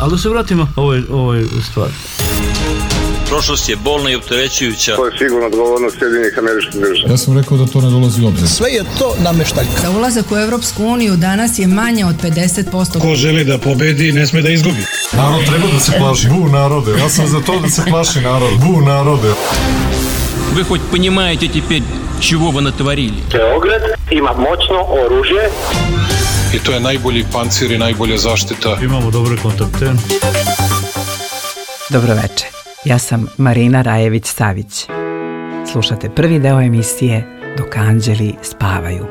Ali da se vratimo ovoj stvari. Prošlost je bolna i opterećujuća. To je sigurno odgovornost Sjedinjenih Američkih Država. Ja sam rekao da to ne dolazi u obzir. Sve je to nameštaljka. Za ulazak u Evropsku uniju danas je manje od 50%. Ko želi da pobedi, ne sme da izgubi. Narod treba da se plaši. Bu narode. Ja sam za to da se plaši narod. Bu narode. Вы хоть понимаете теперь, чего вы натворили? Beograd ima moćno oružje. I to je najbolji pancir i najbolja zaštita. Imamo dobre kontakte. Dobro večer. Ja sam Marina Rajević-Savić. Slušate prvi deo emisije Dok anđeli spavaju.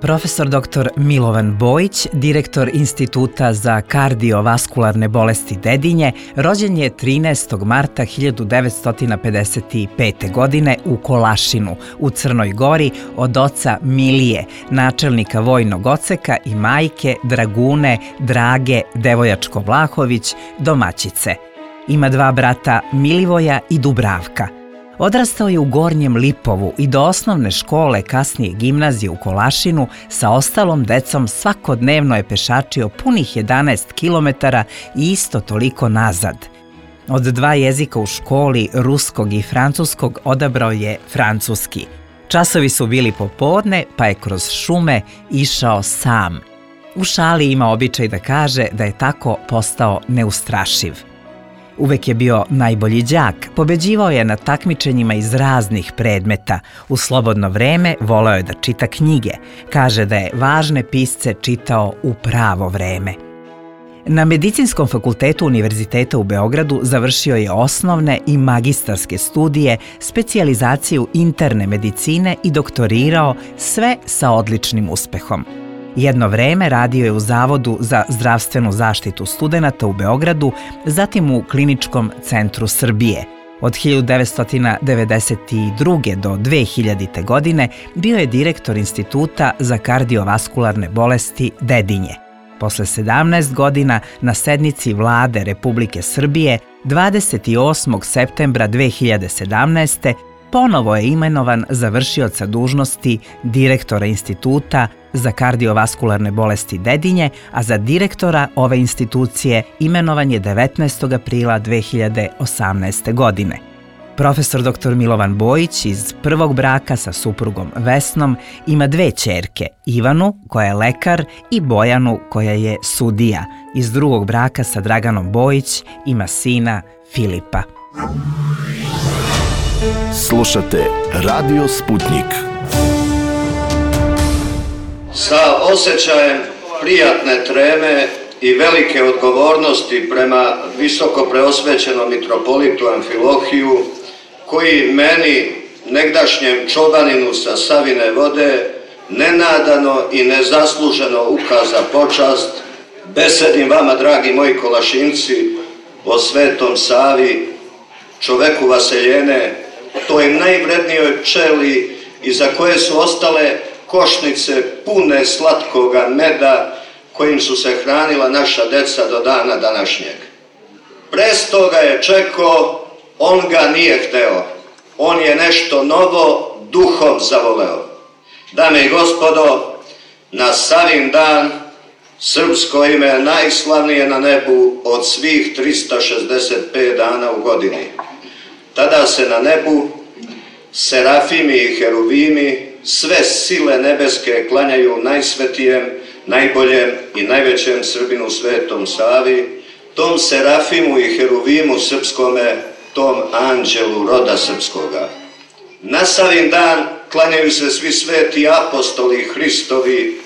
Profesor dr. Milovan Bojić, direktor Instituta za kardiovaskularne bolesti Dedinje, rođen je 13. marta 1955. godine u Kolašinu, u Crnoj Gori, od oca Milije, načelnika vojnog odseka, i majke Dragune Drage Devojačko-Vlahović, domaćice. Ima 2 brata, Milivoja i Dubravka. Odrastao je u Gornjem Lipovu i do osnovne škole, kasnije gimnazije u Kolašinu, sa ostalom decom svakodnevno je pešačio punih 11 kilometara i isto toliko nazad. Od 2 jezika u školi, ruskog i francuskog, odabrao je francuski. Časovi su bili popodne, pa je kroz šume išao sam. U šali ima običaj da kaže da je tako postao neustrašiv. Uvek je bio najbolji đak, pobeđivao je na takmičenjima iz raznih predmeta. U slobodno vreme voleo je da čita knjige. Kaže da je važne pisce čitao u pravo vreme. Na Medicinskom fakultetu Univerziteta u Beogradu završio je osnovne i magistarske studije, specijalizaciju interne medicine i doktorirao, sve sa odličnim uspehom. Jedno vreme radio je u Zavodu za zdravstvenu zaštitu studenata u Beogradu, zatim u Kliničkom centru Srbije. Od 1992. do 2000. godine bio je direktor Instituta za kardiovaskularne bolesti Dedinje. Posle 17 godina na sednici Vlade Republike Srbije 28. septembra 2017. ponovo je imenovan za vršioca dužnosti direktora Instituta za kardiovaskularne bolesti Dedinje, a za direktora ove institucije imenovan je 19. aprila 2018. godine. Profesor dr. Milovan Bojić iz prvog braka sa suprugom Vesnom ima 2 ćerke, Ivanu, koja je lekar, i Bojanu, koja je sudija. Iz drugog braka sa Draganom Bojić ima sina Filipa. Slušate Radio Sputnik. Sa osjećajem prijatne treme i velike odgovornosti prema visoko preosvećenom mitropolitu Amfilohiju, koji meni, negdašnjem čobaninu sa Savine vode, nenadano i nezasluženo ukaza počast, besedim vama, dragi moji Kolašinci, o Svetom Savi, čoveku vaseljene, toj najvrednijoj pčeli iza koje su ostale košnice pune slatkoga meda kojim su se hranila naša deca do dana današnjeg. Presto ga je čekao, on ga nije hteo. On je nešto novo duhom zavoleo. Dame i gospodo, na Savin dan srpsko ime je najslavnije na nebu od svih 365 dana u godini. Tada se na nebu serafimi i heruvimi, sve sile nebeske klanjaju najsvetijem, najboljem i najvećem Srbinu Svetom Savi, tom serafimu i heruvimu srpskome, tom anđelu roda srpskoga. Na Savin dan klanjaju se svi sveti apostoli Hristovi,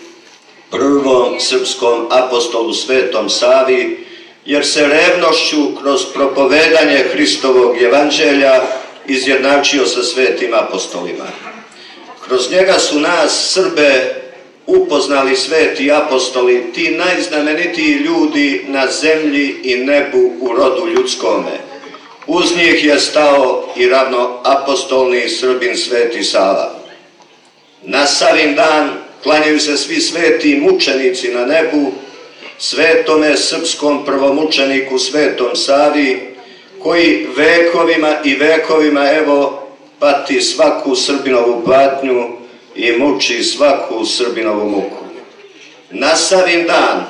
prvom srpskom apostolu Svetom Savi, jer se revnošću kroz propovedanje Hristovog evanđelja izjednačio sa svetim apostolima. Kroz njega su nas, Srbe, upoznali sveti apostoli, ti najznamenitiji ljudi na zemlji i nebu u rodu ljudskome. Uz njih je stao i ravnoapostolni Srbin Sveti Sava. Na Savin dan klanjaju se svi sveti mučenici na nebu, svetome srpskom prvomučeniku Svetom Savi, koji vekovima i vekovima, evo, pati svaku Srbinovu patnju i muči svaku Srbinovu muku. Na Savin dan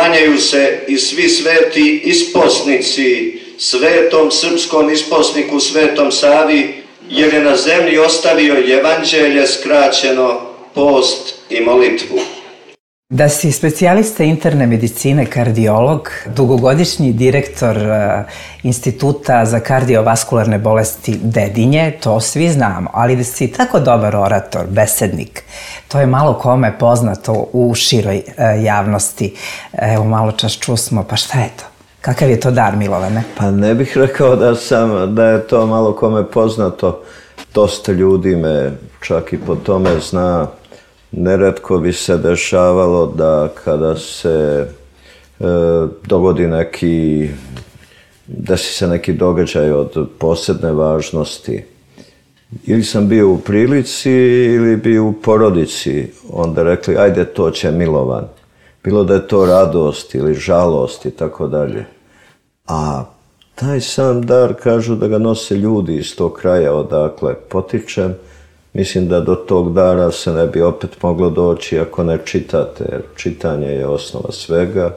klanjaju se i svi sveti isposnici svetom srpskom isposniku Svetom Savi, jer je na zemlji ostavio evanđelje skraćeno, post i molitvu. Da si specijalista interne medicine, kardiolog, dugogodišnji direktor Instituta za kardiovaskularne bolesti Dedinje, to svi znamo, ali da si tako dobar orator, besednik, to je malo kome poznato u široj javnosti. Evo, malo čas čusmo, pa šta je to? Kakav je to dar, Milovane? Pa ne bih rekao da je to malo kome poznato. Dosta ljudi me čak i po tome zna. Neretko bi se dešavalo da kada se dogodi desi se neki događaj od posebne važnosti, ili sam bio u prilici ili bio u porodici, onda rekli ajde to će Milovan. Bilo da je to radost ili žalost i tako dalje. A taj sam dar, kažu da ga nose ljudi iz tog kraja odakle potičem. Mislim da do tog dara se ne bi opet moglo doći ako ne čitate, jer čitanje je osnova svega.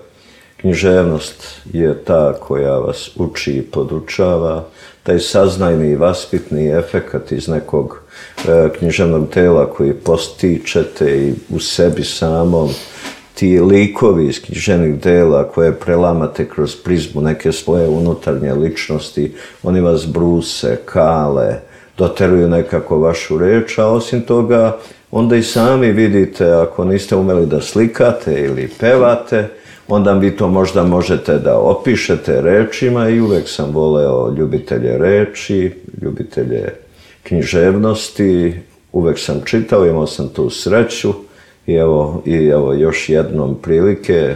Književnost je ta koja vas uči i podučava. Taj saznajni i vaspitni efekat iz nekog književnog tela koji postičete i u sebi samom, ti likovi iz književnih dela koje prelamate kroz prizmu neke svoje unutarnje ličnosti, oni vas bruse, kale, doteruju nekako vašu reč, a osim toga onda i sami vidite, ako niste umeli da slikate ili pevate, onda vi to možda možete da opišete rečima i uvek sam voleo ljubitelje reči, ljubitelje književnosti, uvek sam čitao, imao sam tu sreću i evo još jednom prilike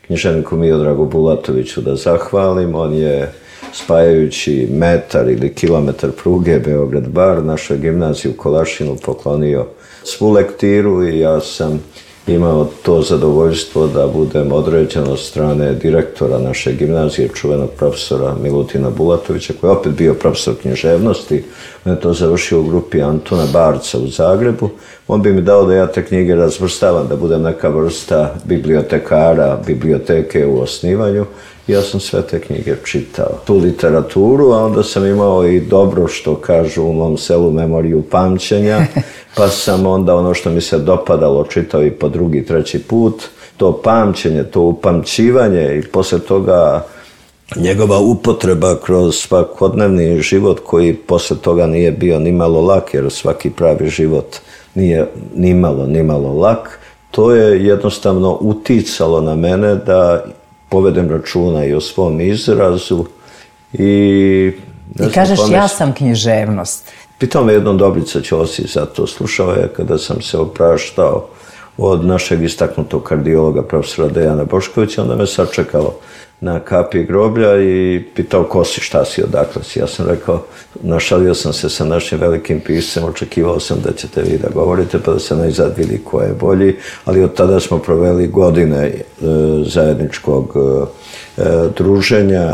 književniku Miodragu Bulatoviću da zahvalim. On je spajajući metar ili kilometar pruge Beograd-Bar našoj gimnaziji u Kolašinu poklonio svu lektiru i ja sam imao to zadovoljstvo da budem određen od strane direktora naše gimnazije, čuvenog profesora Milutina Bulatovića, koji je opet bio profesor književnosti. On je to završio u grupi Antuna Barca u Zagrebu. On bi mi dao da ja te knjige razvrstavam, da budem neka vrsta bibliotekara, biblioteke u osnivanju. Ja sam sve te knjige čitao, tu literaturu, a onda sam imao i dobro, što kažu u mom selu, memoriju pamćenja, pa sam onda ono što mi se dopadalo čitao i po drugi, treći put. To pamćenje, to upamćivanje i posle toga njegova upotreba kroz svakodnevni život koji posle toga nije bio ni malo lak, jer svaki pravi život nije ni malo lak. To je jednostavno uticalo na mene da povedem računa i o svom izrazu i kažeš ja sam književnost. Pitao me jednom Dobrica Ćosić za to. Slušao je kada sam se opraštao od našeg istaknutog kardiologa profesora Dejana Boškovića, onda me sačekalo na kapi groblja i pitao ko si, šta si, odakle si. Ja sam rekao, našalio sam se sa našim velikim piscem, očekivao sam da ćete vi da govorite pa da se najzad vidi ko je bolji, ali od tada smo proveli godine zajedničkog druženja,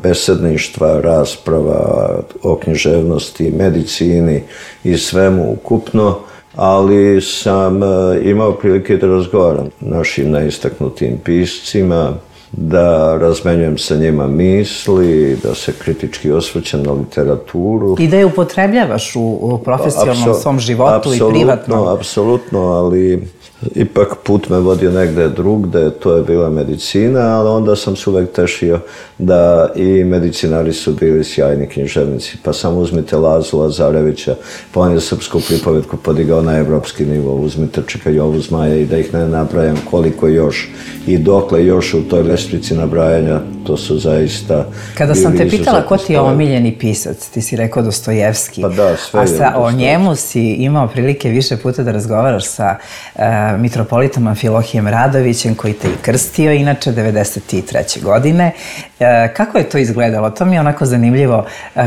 besedništva, rasprava o književnosti, medicini i svemu ukupno, ali sam imao prilike da razgovaram našim najistaknutim piscima, da razmenjujem sa njima misli, da se kritički osvrćem na literaturu. I da je upotrebljavaš u profesionalnom svom životu i privatnom. Apsolutno, ali ipak put me vodio negde drugde, to je bila medicina, ali onda sam se uvek tešio da i medicinari su bili sjajni književnici. Pa samo uzmite Lazu Lazarevića, pa on je srpsku pripovetku podigao na evropski nivo, uzmite Čika Jovu Zmaja i da ih ne nabrajam koliko još i dokle još u toj lestvici nabrajanja, to su zaista... Kada sam te pitala ko ti je omiljeni pisac, ti si rekao Dostojevski, pa da, sve je a o njemu si imao prilike više puta da razgovaraš sa mitropolitom Amfilohijem Radovićem, koji te i krstio, inače 1993. godine. Kako je to izgledalo? To mi je onako zanimljivo.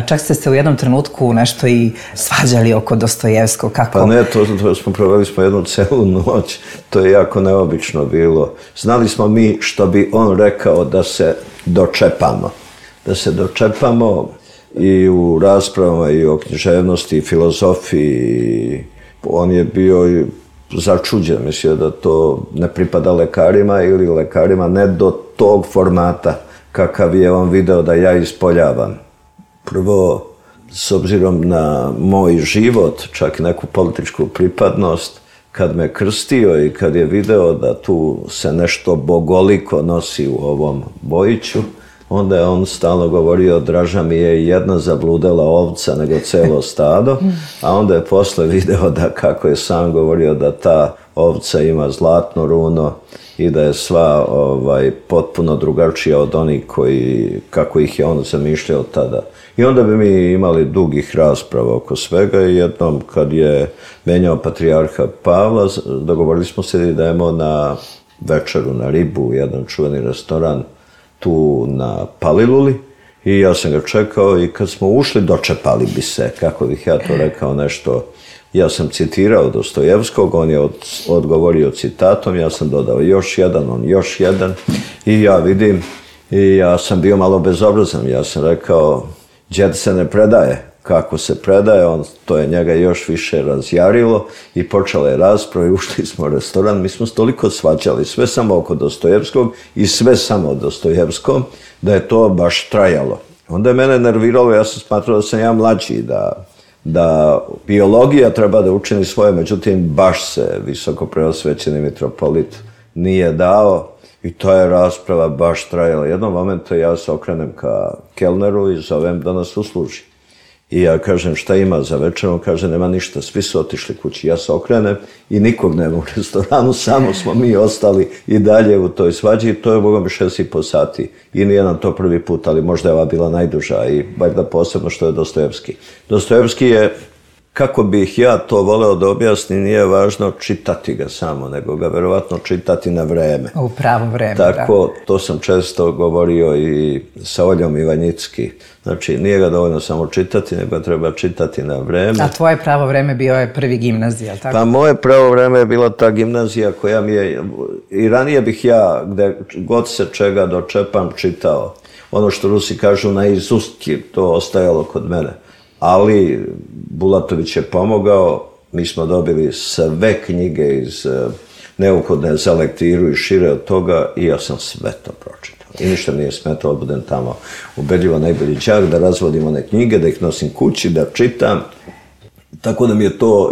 Čak ste se u jednom trenutku nešto i svađali oko Dostojevskog. Kako? Pa ne, to proveli smo jednu celu noć. To je jako neobično bilo. Znali smo mi što bi on rekao da se dočepamo. Da se dočepamo i u raspravama i o književnosti i filozofiji. On je bio začuđen, mislio da to ne pripada lekarima ili lekarima ne do tog formata kakav je on video da ja ispoljavam. Prvo, s obzirom na moj život, čak i neku političku pripadnost, kad me krstio i kad je video da tu se nešto bogoliko nosi u ovom bojiću, onda je on stalno govorio, draža mi je jedna zabludela ovca nego celo stado, a onda je posle video da, kako je sam govorio, da ta ovca ima zlatno runo i da je sva potpuno drugačija od onih kako ih je on zamišljao tada. I onda bi mi imali dugih rasprava oko svega i jednom kad je menjao patrijarha Pavla, dogovorili smo se da idemo na večeru, na ribu, jedan čuveni restoran tu na Paliluli i ja sam ga čekao i kad smo ušli dočepali bi se, kako bih ja to rekao nešto. Ja sam citirao Dostojevskog, on je odgovorio citatom, ja sam dodao još jedan, on još jedan i ja vidim i ja sam bio malo bezobrazan, ja sam rekao, đed se ne predaje, kako se predaje, to je njega još više razjarilo i počela je rasprava i ušli smo u restoran, mi smo se toliko svađali, sve samo oko Dostojevskog i sve samo o Dostojevskom, da je to baš trajalo. Onda je mene nerviralo, ja sam smatrao da sam ja mlađi, da biologija treba da učini svoje, međutim baš se visoko preosvećeni mitropolit nije dao i ta je rasprava baš trajala. Jednom momentu ja se okrenem ka kelneru i zovem da nas usluži. I ja kažem šta ima za večer, on kaže nema ništa, svi su otišli kući. Ja se okrenem i nikog nema u restoranu, samo smo mi ostali i dalje u toj svađi. To je bogom 6,5 sati i nije nam to prvi put, ali možda je ova bila najduža i bar da posebno što je Dostojevski. Dostojevski je, kako bih ja to voleo da objasnim, nije važno čitati ga samo, nego ga verovatno čitati na vreme. U pravo vreme, tako, da. To sam često govorio i sa Oljom Ivanjicki. Znači, nije ga dovoljno samo čitati, nego treba čitati na vreme. A tvoje pravo vreme bio je prvi gimnazija, tako? Pa moje pravo vreme je bila ta gimnazija koja mi je, i ranije bih ja, gde god se čega dočepam, čitao. Ono što Rusi kažu na izustki, to ostajalo kod mene. Ali Bulatović je pomogao, mi smo dobili sve knjige iz neophodne za lektiru i šire od toga i ja sam sve to pročitao. I ništa mi nije smetalo, budem tamo ubedljivo najbolji đak, da razvodim one knjige, da ih nosim kući, da čitam. Tako da mi je to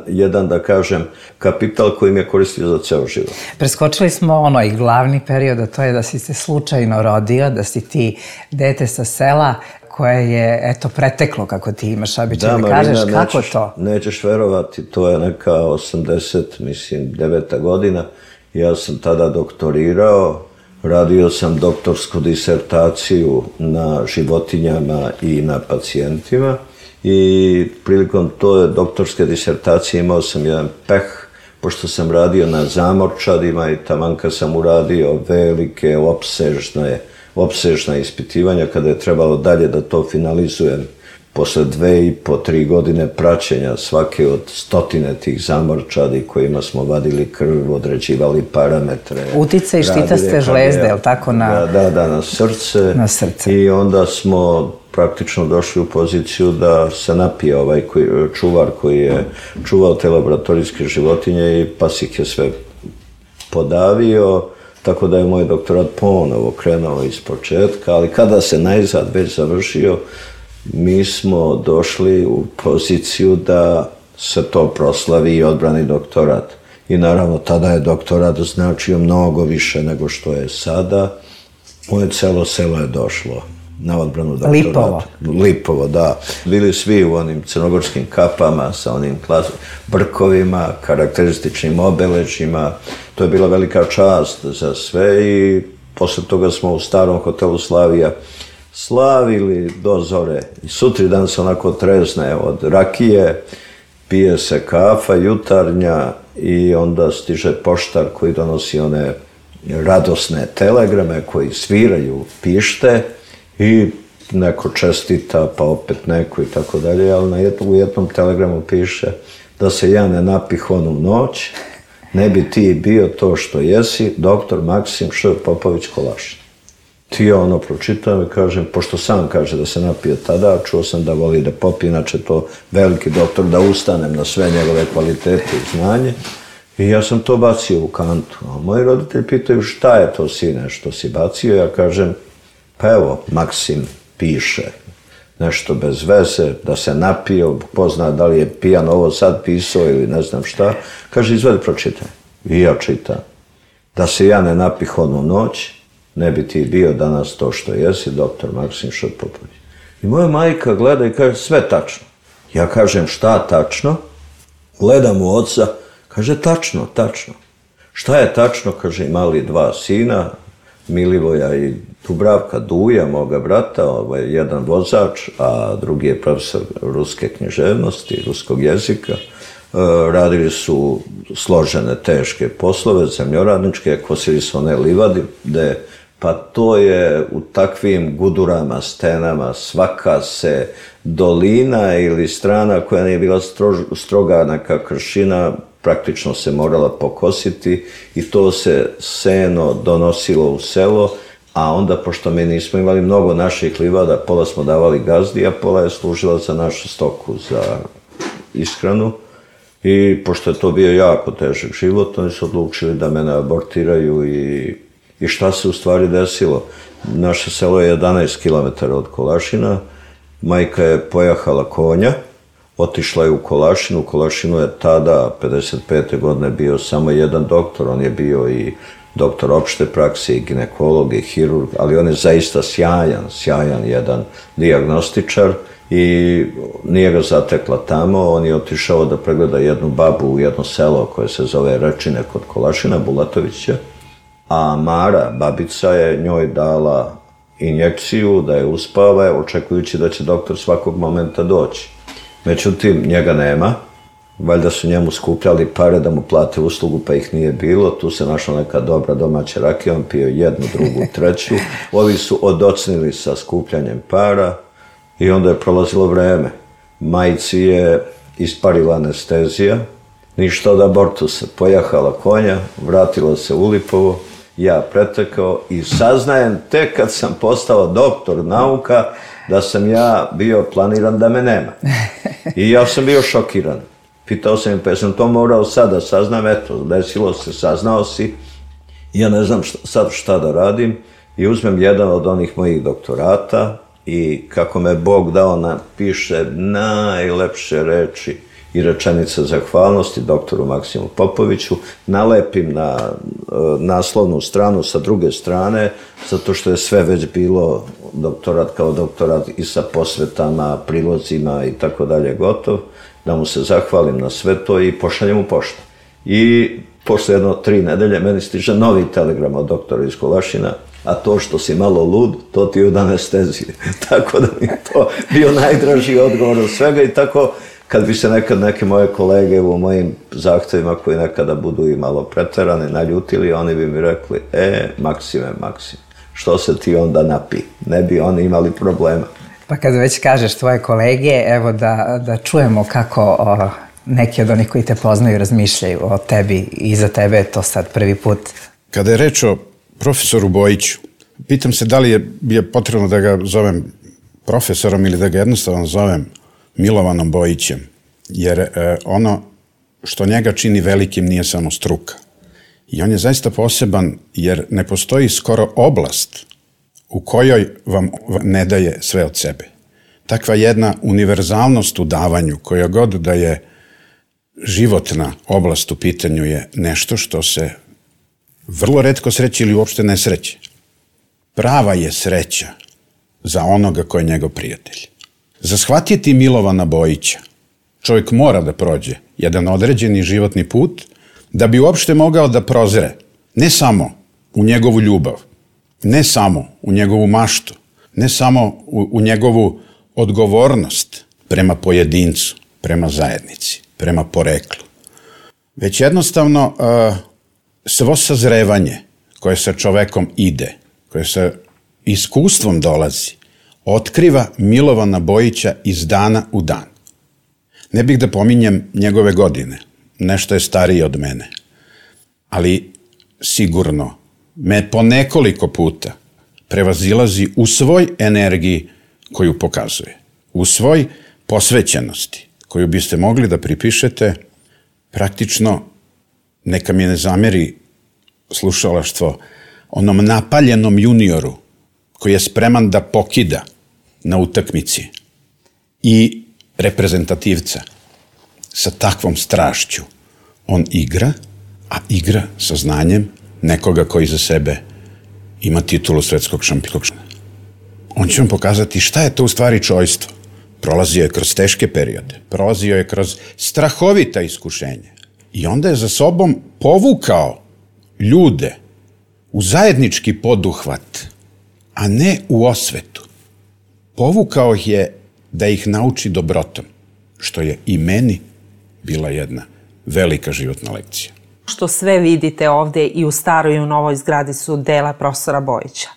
jedan, da kažem, kapital koji mi je koristio za ceo život. Preskočili smo onaj glavni period, a to je da si se slučajno rodio, da si ti dete sa sela koje je, eto, preteklo, kako ti imaš običaj da kažeš, kako to? Nećeš verovati, to je neka 89. godina. Ja sam tada doktorirao, radio sam doktorsku disertaciju na životinjama i na pacijentima i prilikom toj doktorske disertacije imao sam jedan peh, pošto sam radio na zamorčadima i taman kad sam uradio velike, opsežna ispitivanja, kada je trebalo dalje da to finalizujem posle 2,5-3 godine praćenja svake od stotine tih zamorčadi kojima smo vadili krv, određivali parametre. Uticaj štitaste žlezde, je li tako? Da, na srce. I onda smo praktično došli u poziciju da se napije ovaj čuvar koji je čuvao te laboratorijske životinje i pas ih je sve podavio. Tako da je moj doktorat ponovo krenuo iz početka, ali kada se najzad već završio, mi smo došli u poziciju da se to proslavi i odbrani doktorat. I naravno, tada je doktorat značio mnogo više nego što je sada. Moje celo selo je došlo na odbranu doktorata. Lipovo, da. Bili svi u onim crnogorskim kapama sa onim brkovima, karakterističnim obeležjima. To je bila velika čast za sve i posle toga smo u starom hotelu Slavija slavili do zore. I sutri dan se onako trezne od rakije, pije se kafa jutarnja i onda stiže poštar koji donosi one radosne telegrame koji sviraju, pište i neko čestita, pa opet neko i tako dalje, ali u jednom telegramu piše da se ja ne napih onu noć, ne bi ti bio to što jesi, doktor Maksim Š. Popović Kolašin. Ti ja ono pročitam i kažem, pošto sam kaže da se napio tada, čuo sam da voli da popije, inače to veliki doktor, da ustanem na sve njegove kvalitete i znanje. I ja sam to bacio u kantu. A moji roditelji pitaju šta je to, sine, što si bacio? Ja kažem, pa evo, Maksim piše nešto bez veze, da se napio, pozna da li je pijan ovo sad pisao ili ne znam šta. Kaže, izvedi, pročitaj. I ja čitam. Da se ja ne napih onu noć, ne bi ti bio danas to što jesi, doktor Maksim Šrpopović. I moja majka gleda i kaže, sve tačno. Ja kažem, šta tačno? Gledam u oca, kaže, tačno, tačno. Šta je tačno? Kaže, imali 2 sina, Milivoja i Dubravka, Duja, moga brata, jedan vozač, a drugi je profesor ruske književnosti, ruskog jezika. Radili su složene, teške poslove, zemljoradničke, kosili su one livade, pa to je u takvim gudurama, stenama, svaka se dolina ili strana koja nije bila stroga neka kršina, praktično se morala pokositi i to se seno donosilo u selo, a onda, pošto mi nismo imali mnogo naših livada, pola smo davali gazdi, a pola je služila za našu stoku, za ishranu. I pošto je to bio jako težak život, oni su odlučili da mene abortiraju i šta se u stvari desilo. Naše selo je 11 km od Kolašina, majka je pojahala konja, otišla je u Kolašinu. U Kolašinu je tada, 55. godine, bio samo jedan doktor, on je bio i doktor opšte prakse, i ginekolog, i hirurg, ali on je zaista sjajan jedan dijagnostičar i nije ga zatekla tamo, on je otišao da pregleda jednu babu u jedno selo koje se zove Rečine kod Kolašina, Bulatovića, a Mara, babica, je njoj dala injekciju da je uspava, očekujući da će doktor svakog momenta doći. Međutim, njega nema, valjda su njemu skupljali pare da mu plate uslugu, pa ih nije bilo, tu se našla neka dobra domaća rakija, on pio 1, 2, 3, ovi su odocnili sa skupljanjem para i onda je prolazilo vreme. Majci je isparila anestezija, ništa od abortusa, pojahala konja, vratila se u Lipovo, ja pretekao i saznajem tek kad sam postao doktor nauka da sam ja bio planiran da me nema. I ja sam bio šokiran. Pitao sam, pa sam to morao sad da saznam, eto, desilo se, saznao si, ja ne znam sad šta da radim i uzmem jedan od onih mojih doktorata i kako me Bog dao napiše najlepše reči i rečenice zahvalnosti doktoru Maksimu Popoviću, nalepim na naslovnu stranu sa druge strane, zato što je sve već bilo doktorat kao doktorat i sa posvetama, prilozima i tako dalje gotov, da mu se zahvalim na sve to i pošaljem u poštu. I posle 3 nedelje meni stiže novi telegram od doktora iz Kolašina, a to što si malo lud, to ti je od anestezije. Tako da mi je to bio najdraži odgovor od svega i tako kad bi se nekad neke moje kolege u mojim zahtevima koji nekada budu i malo preterani, naljutili, oni bi mi rekli, Maksime, što se ti onda napi? Ne bi oni imali problema. Pa kad već kažeš tvoje kolege, evo da čujemo kako neki od onih koji te poznaju razmišljaju o tebi i za tebe je to sad prvi put. Kada je reč o profesoru Bojiću, pitam se da li je potrebno da ga zovem profesorom ili da ga jednostavno zovem Milovanom Bojićem, jer ono što njega čini velikim nije samo struka. I on je zaista poseban jer ne postoji skoro oblast u kojoj vam ne daje sve od sebe. Takva jedna univerzalnost u davanju, koja god da je životna oblast u pitanju, je nešto što se vrlo retko sreće ili uopšte ne sreće. Prava je sreća za onoga ko je njegov prijatelj. Za shvatiti Milovana Bojića čovjek mora da prođe jedan određeni životni put da bi uopšte mogao da prozre ne samo u njegovu ljubav, ne samo u njegovu maštu, ne samo u njegovu odgovornost prema pojedincu, prema zajednici, prema poreklu, već jednostavno svo sazrevanje koje sa čovekom ide, koje sa iskustvom dolazi, otkriva Milovana Bojića iz dana u dan. Ne bih da pominjem njegove godine, nešto je stariji od mene, ali sigurno me po nekoliko puta prevazilazi u svoj energiji koju pokazuje, u svoj posvećenosti koju biste mogli da pripišete praktično neka mi ne zameri slušalaštvo, onom napaljenom junioru koji je spreman da pokida na utakmici i reprezentativca sa takvom strašću. On igra, a igra sa znanjem nekoga koji za sebe ima titulu svetskog šampiona. On će vam pokazati šta je to u stvari čojstvo. Prolazio je kroz teške periode, prolazio je kroz strahovita iskušenja i onda je za sobom povukao ljude u zajednički poduhvat, a ne u osvetu. Povukao ih je da ih nauči dobrotom, što je i meni bila jedna velika životna lekcija. Što sve vidite ovde i u staroj i u novoj zgradi su dela profesora Bojića.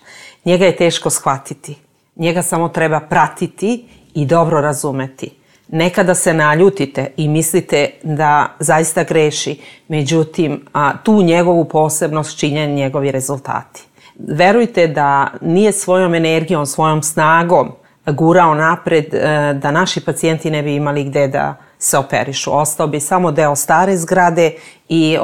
Njega je teško shvatiti. Njega samo treba pratiti i dobro razumeti. Nekada se naljutite i mislite da zaista greši, međutim, tu njegovu posebnost čine njegovi rezultati. Verujte da nije svojom energijom, svojom snagom gurao napred da naši pacijenti ne bi imali gde da se operišu. Ostao bi samo deo stare zgrade i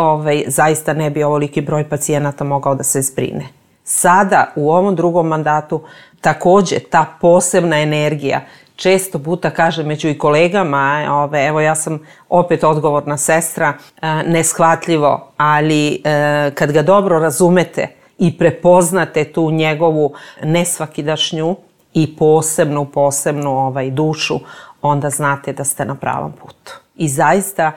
zaista ne bi ovoliki broj pacijenata mogao da se zbrine. Sada, u ovom drugom mandatu, takođe ta posebna energija, često puta kažem među i kolegama, evo ja sam opet odgovorna sestra, neshvatljivo, ali kad ga dobro razumete i prepoznate tu njegovu nesvakidašnju i posebnu dušu, onda znate da ste na pravom putu. I zaista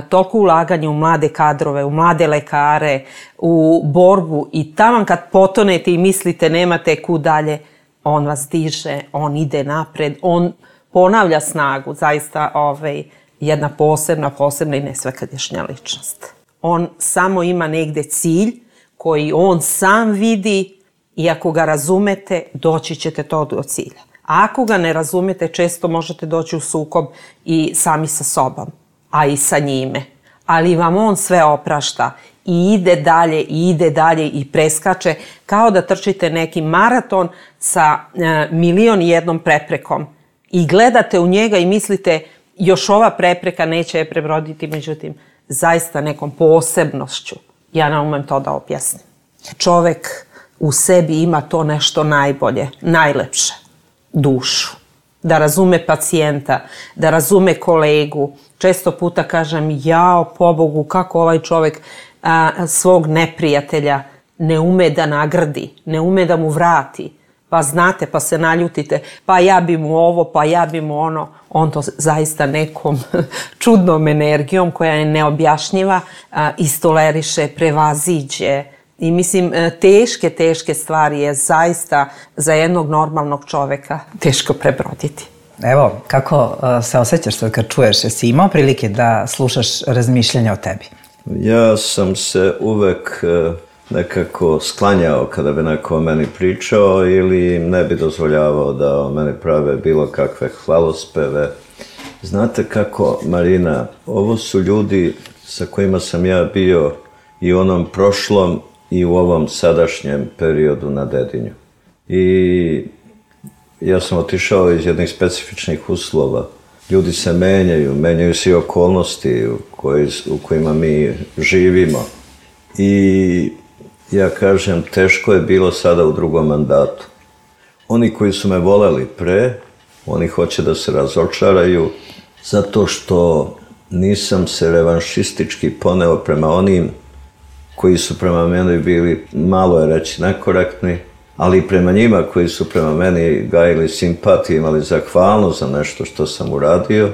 toliko ulaganje u mlade kadrove, u mlade lekare, u borbu i taman kad potonete i mislite nemate kud dalje, on vas diže, on ide napred, on ponavlja snagu, zaista jedna posebna i nesvakadašnja ličnost. On samo ima negde cilj koji on sam vidi i ako ga razumete, doći ćete to do cilja. A ako ga ne razumete, često možete doći u sukob i sami sa sobom, a i sa njime. Ali vam on sve oprašta i ide dalje i preskače kao da trčite neki maraton sa 1.000.001 preprekom i gledate u njega i mislite još ova prepreka neće je prebroditi, međutim zaista nekom posebnošću. Ja ne umem to da objasnim. Čovek u sebi ima to nešto najbolje, najlepše, dušu. Da razume pacijenta, da razume kolegu. Često puta kažem, jao, pobogu, kako ovaj čovek svog neprijatelja ne ume da nagradi, ne ume da mu vrati. Pa znate, pa se naljutite, pa ja bi mu ovo, pa ja bi mu ono. On to zaista nekom čudnom energijom koja je neobjašnjiva istoleriše, prevaziđe. I mislim, teške stvari je zaista za jednog normalnog čoveka teško prebroditi. Evo, kako se osjećaš sad kad čuješ? Jesi imao prilike da slušaš razmišljanja o tebi? Ja sam se uvek nekako sklanjao kada bi neko o meni pričao ili ne bi dozvoljavao da o meni prave bilo kakve hvalospeve. Znate kako, Marina, ovo su ljudi sa kojima sam ja bio i u onom prošlom i u ovom sadašnjem periodu na Dedinju. I ja sam otišao iz jednih specifičnih uslova. Ljudi se menjaju se i okolnosti u kojima mi živimo. I ja kažem, teško je bilo sada u drugom mandatu. Oni koji su me voleli pre, oni hoće da se razočaraju zato što nisam se revanšistički poneo prema onim koji su prema meni bili, malo je reći, nekorektni, ali i prema njima koji su prema meni gajili simpatiju, imali zahvalnost za nešto što sam uradio.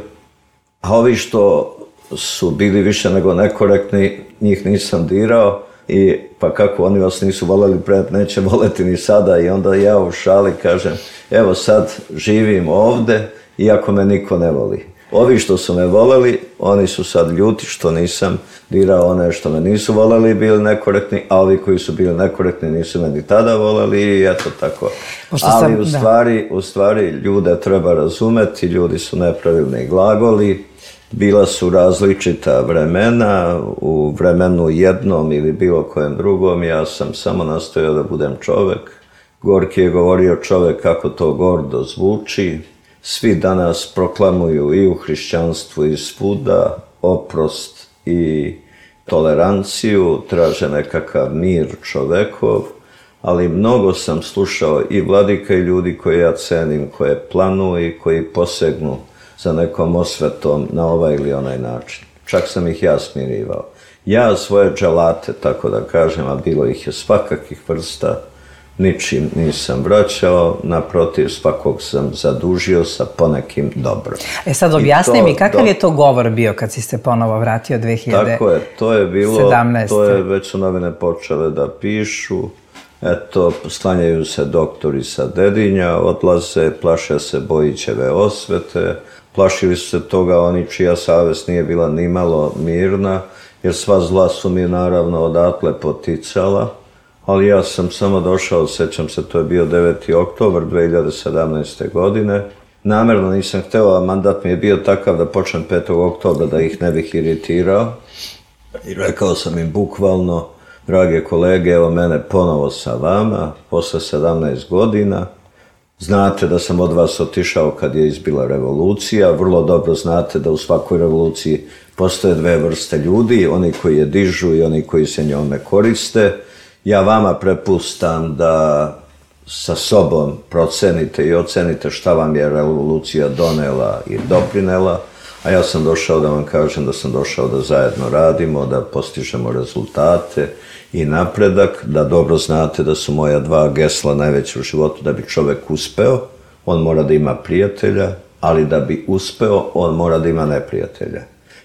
A ovi što su bili više nego nekorektni, njih nisam dirao i pa kako oni vas nisu voljeli pred, neće voleti ni sada. I onda ja u šali kažem, evo sad živim ovde iako me niko ne voli. Ovi što su me voleli, oni su sad ljuti što nisam dirao one što me nisu voleli i bili nekorektni, a ovi koji su bili nekorektni nisu me ni tada voleli i eto tako. Ali u stvari ljude treba razumeti, ljudi su nepravilni glagoli, bila su različita vremena, u vremenu jednom ili bilo kojem drugom, ja sam samo nastojao da budem čovek. Gorki je govorio čovek kako to gordo zvuči. Svi danas proklamuju i u hrišćanstvu i svuda oprost i toleranciju, traže nekakav mir čovekov, ali mnogo sam slušao i vladika i ljudi koje ja cenim, koje planuju i koji posegnu za nekom osvetom na ovaj ili onaj način. Čak sam ih ja smirivao. Ja svoje dželate, tako da kažem, a bilo ih je svakakih vrsta, ničim nisam vraćao, naprotiv, svakog sam zadužio sa ponekim dobrom. Sad objasni mi, kakav je to govor bio kad si se ponovo vratio 2017? Tako je, to je bilo, to je već su novine počele da pišu, eto, sklanjaju se doktori sa Dedinja, odlaze, plaše se Bojićeve osvete, plašili su se toga oni čija savest nije bila nimalo mirna, jer sva zla su mi naravno odatle poticala, ali ja sam samo došao, sećam se, to je bio 9. oktobar 2017. godine. Namerno nisam hteo, a mandat mi je bio takav da počnem 5. oktobra da ih ne bih iritirao. I rekao sam im bukvalno, drage kolege, evo mene ponovo sa vama, posle 17 godina. Znate da sam od vas otišao kad je izbila revolucija, vrlo dobro znate da u svakoj revoluciji postoje dve vrste ljudi, oni koji je dižu i oni koji se njome koriste. Ja vama prepustam da sa sobom procenite i ocenite šta vam je revolucija donela i doprinela, a ja sam došao da vam kažem da sam došao da zajedno radimo, da postižemo rezultate i napredak, da dobro znate da su moja dva gesla najveća u životu. Da bi čovek uspeo, on mora da ima prijatelja, ali da bi uspeo, on mora da ima neprijatelja.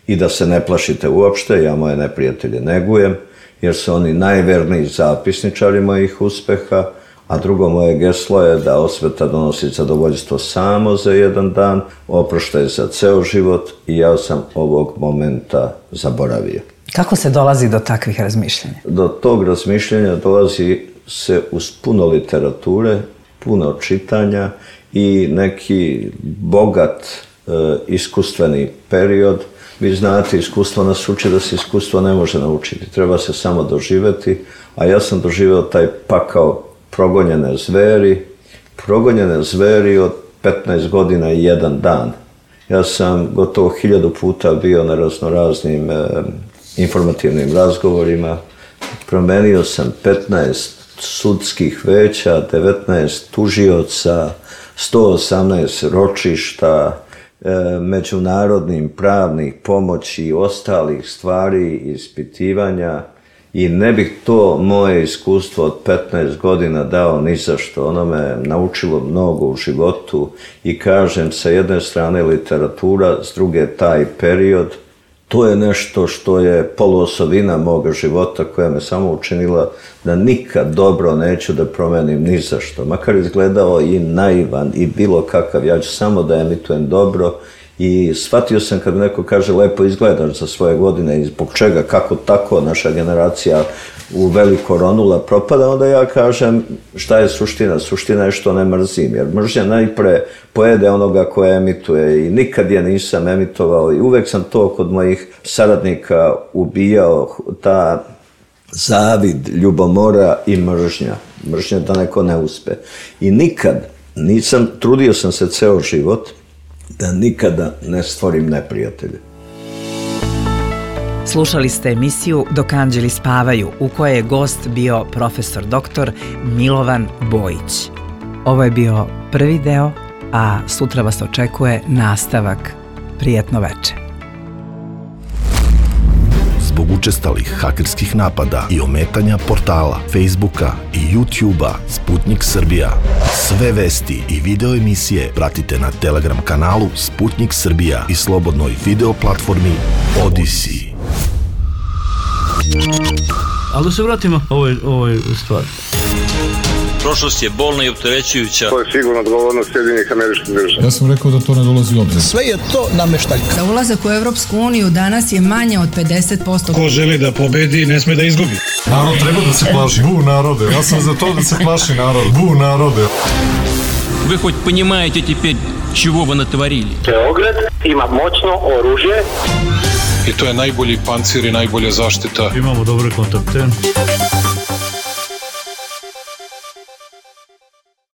I da se ne plašite uopšte, ja moje neprijatelje negujem, jer su oni najverniji zapisničari mojih uspeha, a drugo moje geslo je da osveta donosi zadovoljstvo samo za jedan dan, oproštaj za ceo život i ja sam ovog momenta zaboravio. Kako se dolazi do takvih razmišljanja? Do tog razmišljanja dolazi se uz puno literature, puno čitanja i neki bogat iskustveni period. Vi znate, iskustvo nas uči da se iskustvo ne može naučiti, treba se samo doživeti, a ja sam doživeo taj pakao progonjene zveri od 15 godina i jedan dan. Ja sam gotovo 1000 puta bio na raznoraznim informativnim razgovorima, promenio sam 15 sudskih veća, 19 tužioca, 118 ročišta, međunarodnim pravnih pomoći i ostalih stvari, ispitivanja, i ne bih to moje iskustvo od 15 godina dao ni za što. Ono me naučilo mnogo u životu i kažem, sa jedne strane literatura, s druge taj period. To je nešto što je poluosovina moga života koja me samo učinila da nikad dobro neću da promenim ni za što. Makar izgledao i naivan i bilo kakav, ja ću samo da emitujem dobro. I shvatio sam kad neko kaže lepo izgledaš za svoje godine i zbog čega, kako tako naša generacija u veliko ronula propada, onda ja kažem šta je suština. Suština je što ne mrzim, jer mržnja najpre pojede onoga koja emituje i nikad je nisam emitovao i uvek sam to kod mojih saradnika ubijao, ta zavid, ljubomora i mržnja. Mržnja da neko ne uspe. I nikad nisam, trudio sam se ceo život da nikada ne stvorim neprijatelje. Slušali ste emisiju Dok anđeli spavaju, u kojoj je gost bio profesor doktor Milovan Bojić. Ovo je bio prvi deo, a sutra vas očekuje nastavak. Prijetno veče. Zbog učestalih hakerskih napada i ometanja portala, Facebooka i YouTubea Sputnik Srbija. Sve vesti i video emisije pratite na Telegram kanalu Sputnik Srbija i slobodnoj video platformi Odyssey. Ali da se vratimo ovoj stvari. Prošlost je bolna i opterećujuća. To je sigurno odgovornost Sjedinjenih Američkih Država. Ja sam rekao da to ne dolazi u obzir. Sve je to nameštaljka. Za ulazak u Evropsku uniju danas je manje od 50%. Ko želi da pobedi, ne sme da izgubi. Narod treba da se plaši. Bu narode. Ja sam za to da se plaši narod. Bu narode. Вы хоть понимаете теперь, чего вы натворили? Beograd ima moćno oružje. I to je najbolji pancir i najbolja zaštita. Imamo dobre kontakte.